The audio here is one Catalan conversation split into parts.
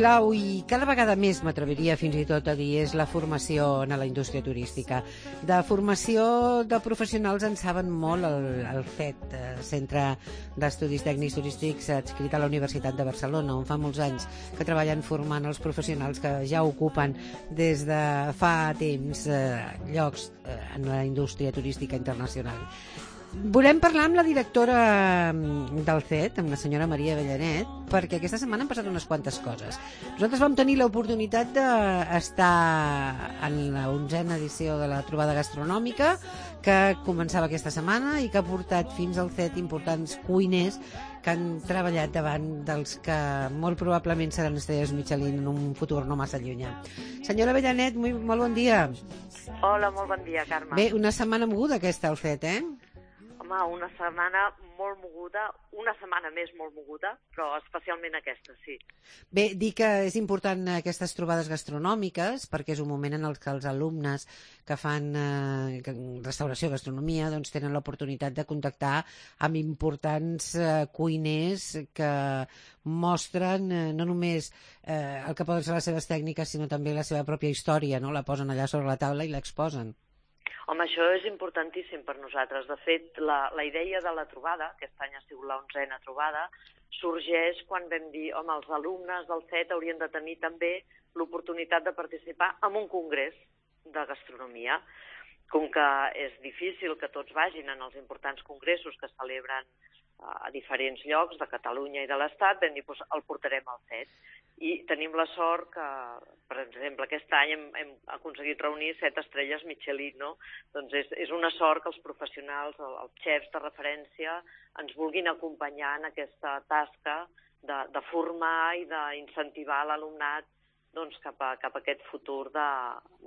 clau i cada vegada més, m'atreviria fins i tot a dir, és la formació en la indústria turística. De formació de professionals en saben molt el CET, Centre d'Estudis Tècnics Turístics, adscrit a la Universitat de Barcelona, on fa molts anys que treballen formant els professionals que ja ocupen des de fa temps llocs en la indústria turística internacional. Volem parlar amb la directora del CET, amb la senyora Maria Avellanet, perquè aquesta setmana han passat unes quantes coses. Nosaltres vam tenir l'oportunitat d'estar en la 11a edició de la trobada gastronòmica, que començava aquesta setmana i que ha portat fins al CET importants cuiners que han treballat davant dels que molt probablement seran estrelles Michelin en un futur no massa llunyà. Senyora Avellanet, molt bon dia. Hola, molt bon dia, Carme. Bé, una setmana moguda aquesta al CET, Home, una setmana molt moguda, una setmana més molt moguda, però especialment aquesta, sí. Bé, dir que és important aquestes trobades gastronòmiques perquè és un moment en el que els alumnes que fan restauració, gastronomia, doncs tenen l'oportunitat de contactar amb importants cuiners que mostren no només el que poden ser les seves tècniques, sinó també la seva pròpia història, no? La posen allà sobre la taula i l'exposen. Home, això és importantíssim per nosaltres. De fet, la idea de la trobada, aquest any ha sigut la 11a trobada, sorgeix quan vam dir, home, els alumnes del CET haurien de tenir també l'oportunitat de participar en un congrés de gastronomia. Com que és difícil que tots vagin en els importants congressos que es celebren a diferents llocs de Catalunya i de l'Estat, vam dir, doncs el portarem al CET. I tenim la sort que, per exemple, aquest any hem aconseguit reunir 7 estrelles Michelin, no? Doncs és una sort que els professionals, els xefs de referència, ens vulguin acompanyar en aquesta tasca de formar i d'incentivar l'alumnat doncs, cap a aquest futur de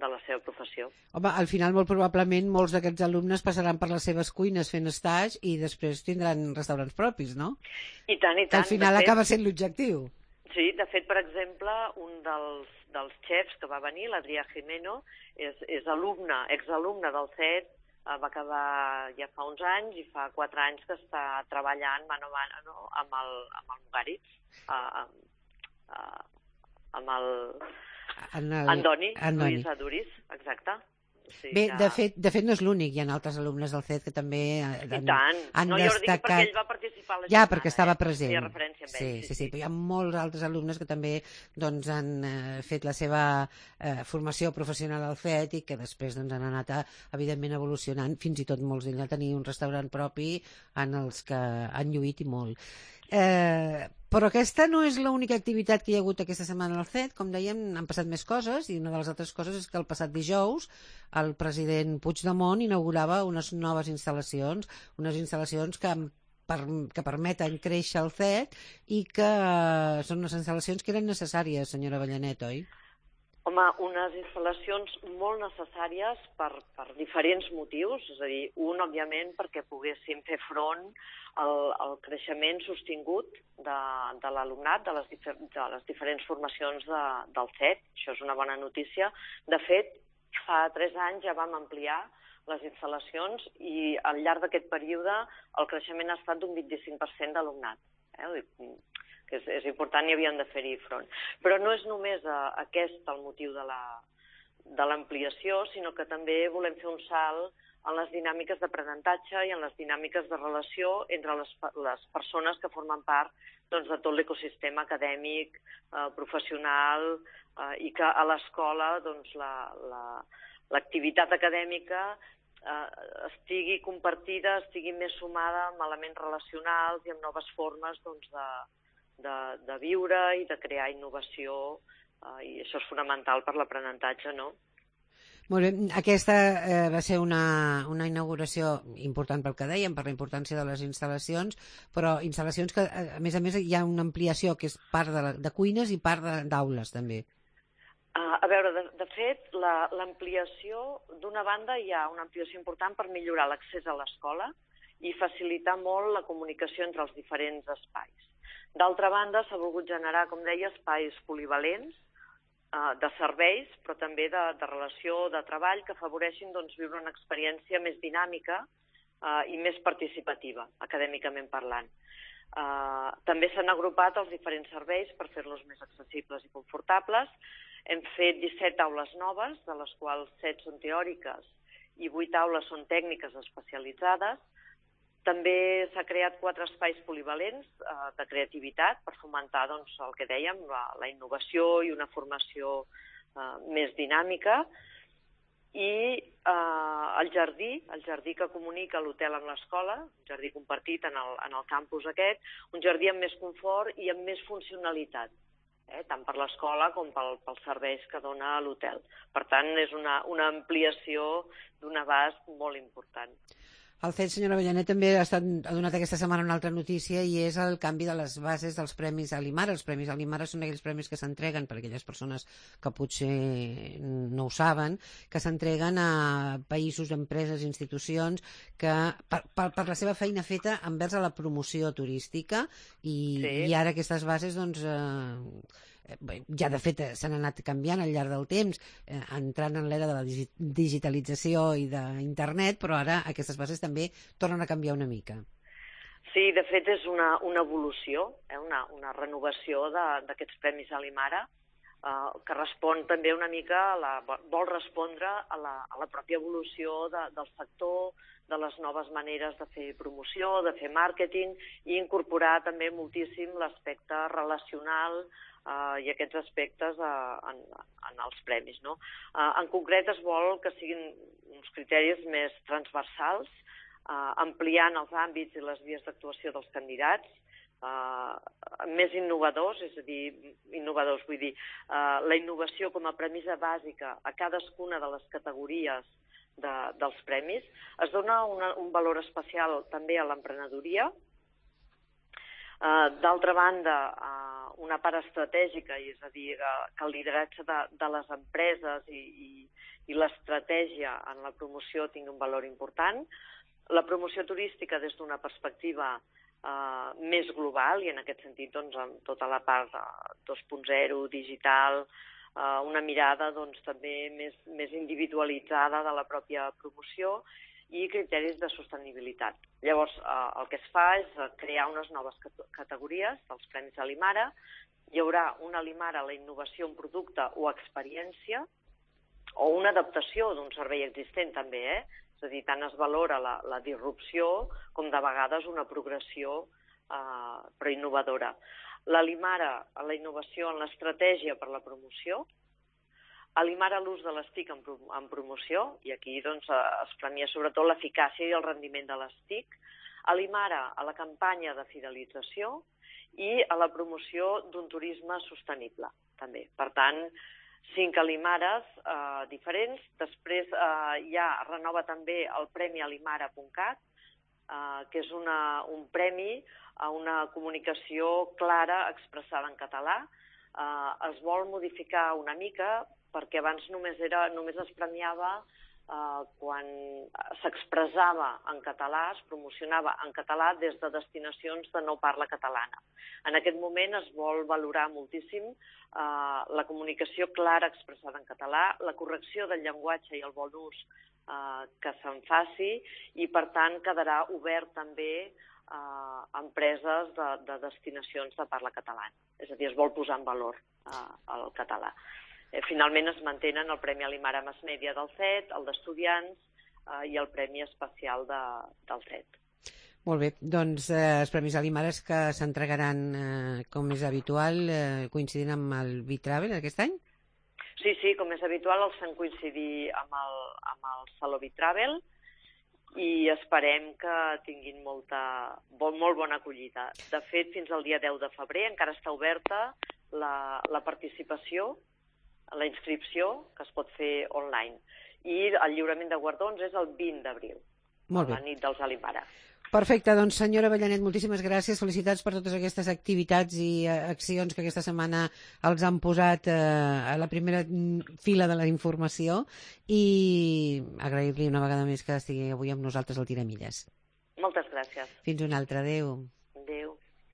la seva professió. Home, al final, molt probablement, molts d'aquests alumnes passaran per les seves cuines fent estage i després tindran restaurants propis, no? I tant, i tant. Que al final acaba sent l'objectiu. Sí, de fet, per exemple, un dels xefs que va venir, l'Adrià Jimeno, és exalumne del CET, va acabar ja fa uns anys i fa 4 anys que està treballant mano a mano amb el Mugaritz, amb el Andoni Lluís Aduriz, exacte. Sí, bé, ja... de fet no és l'únic, hi ha altres alumnes del CET que també han destacat... No, jo dic perquè ell va participar a la jornada. Ja, perquè estava present. Feia referència amb ell. Sí, però hi ha molts altres alumnes que també doncs, han fet la seva formació professional al CET i que després doncs, han anat, evidentment, evolucionant, fins i tot molts d'ells a tenir un restaurant propi en els que han lluït i molt. Però aquesta no és l'única activitat que hi ha hagut aquesta setmana al CET. Com dèiem, han passat més coses i una de les altres coses és que el passat dijous el president Puigdemont inaugurava unes noves instal·lacions, que permeten créixer el CET i que són unes instal·lacions que eren necessàries, senyora Avellanet, oi? Home, unes instal·lacions molt necessàries per diferents motius, és a dir, un, òbviament, perquè poguéssim fer front al creixement sostingut de l'alumnat, de les diferents formacions del CET. Això és una bona notícia. De fet, fa 3 anys ja vam ampliar les instal·lacions i al llarg d'aquest període el creixement ha estat d'un 25% d'alumnat. Que és important i havien de fer-hi front. Però no és només aquest el motiu de l'ampliació, sinó que també volem fer un salt en les dinàmiques d'aprenentatge i en les dinàmiques de relació entre les persones que formen part doncs, de tot l'ecosistema acadèmic, professional, i que a l'escola doncs, l'activitat acadèmica estigui compartida, estigui més sumada amb elements relacionals i amb noves formes doncs, de viure i de crear innovació, i això és fonamental per l'aprenentatge, no? Molt bé, aquesta va ser una inauguració important pel que dèiem, per la importància de les instal·lacions, però instal·lacions que, a més, hi ha una ampliació que és part de cuines i part d'aules, també. A veure, de fet, l'ampliació, d'una banda, hi ha una ampliació important per millorar l'accés a l'escola i facilitar molt la comunicació entre els diferents espais. D'altra banda, s'ha volgut generar, com deia, espais polivalents de serveis, però també de relació, de treball, que afavoreixin doncs, viure una experiència més dinàmica i més participativa, acadèmicament parlant. També s'han agrupat els diferents serveis per fer-los més accessibles i confortables. Hem fet 17 aules noves, de les quals 7 són teòriques i 8 aules són tècniques especialitzades. També s'ha creat 4 espais polivalents de creativitat per fomentar el que dèiem, la innovació i una formació més dinàmica. I el jardí que comunica l'hotel amb l'escola, un jardí compartit en el campus aquest, un jardí amb més confort i amb més funcionalitat, tant per l'escola com pels serveis que dona l'hotel. Per tant, és una ampliació d'un abast molt important. El CET, senyora Avellanet, també ha donat aquesta setmana una altra notícia i és el canvi de les bases dels Premis Alimara. Els Premis Alimara són aquells premis que s'entreguen per aquelles persones que potser no ho saben, que s'entreguen a països, empreses, institucions que per la seva feina feta envers a la promoció turística i ara aquestes bases ja de fet s'han anat canviant al llarg del temps, entrant en l'era de la digitalització i d'internet, però ara aquestes bases també tornen a canviar una mica. Sí, de fet és una evolució, una renovació d'aquests Premis Alimara, que respon també una mica, vol respondre a la pròpia evolució del sector, de les noves maneres de fer promoció, de fer màrqueting i incorporar també moltíssim l'aspecte relacional i aquests aspectes en els premis. En concret es vol que siguin uns criteris més transversals, ampliant els àmbits i les vies d'actuació dels candidats, més innovadors, és a dir, la innovació com a premissa bàsica a cadascuna de les categories dels premis. Es dona un valor especial també a l'emprenedoria. D'altra banda, una part estratègica, és a dir, que el lideratge de les empreses i l'estratègia en la promoció tingui un valor important. La promoció turística des d'una perspectiva més global i en aquest sentit amb tota la part 2.0 digital, una mirada també més individualitzada de la pròpia promoció i criteris de sostenibilitat. Llavors, el que es fa és crear unes noves categories dels Premis Alimara. Hi haurà un Alimara a la innovació en producte o experiència, o una adaptació d'un servei existent també, És a dir, tant es valora la disrupció com de vegades una progressió però innovadora. L'Alimara a la innovació en l'estratègia per la promoció, Alimara l'ús de les TIC en promoció, i aquí es premia sobretot l'eficàcia i el rendiment de les TIC, Alimara a la campanya de fidelització i a la promoció d'un turisme sostenible, també. Per tant, 5 Alimares diferents. Després es renova també el Premi Alimara.cat, que és un premi a una comunicació clara expressada en català. Es vol modificar una mica perquè abans només es premiava quan s'expressava en català, es promocionava en català des de destinacions de no parla catalana. En aquest moment es vol valorar moltíssim la comunicació clara expressada en català, la correcció del llenguatge i el bon ús que se'n faci i, per tant, quedarà obert també a empreses de destinacions de parla catalana. És a dir, es vol posar en valor el català. Finalment es mantenen el Premi Alimara Mass Media del CET, el d'Estudiants i el Premi Especial del CET. Molt bé, doncs els Premis Alimares que s'entregaran, com és habitual, coincidint amb el Bitravel aquest any? Sí, com és habitual, els fem coincidir amb el Saló Bitravel i esperem que tinguin molt bona acollida. De fet, fins al dia 10 de febrer encara està oberta la participació, la inscripció, que es pot fer online. I el lliurament de guardons és el 20 d'abril, la nit dels Alimara. Perfecte, doncs senyora Avellanet, moltíssimes gràcies, felicitats per totes aquestes activitats i accions que aquesta setmana els han posat a la primera fila de la informació i agrair-li una vegada més que estigui avui amb nosaltres al Tiramilles. Moltes gràcies. Fins una altra, adeu.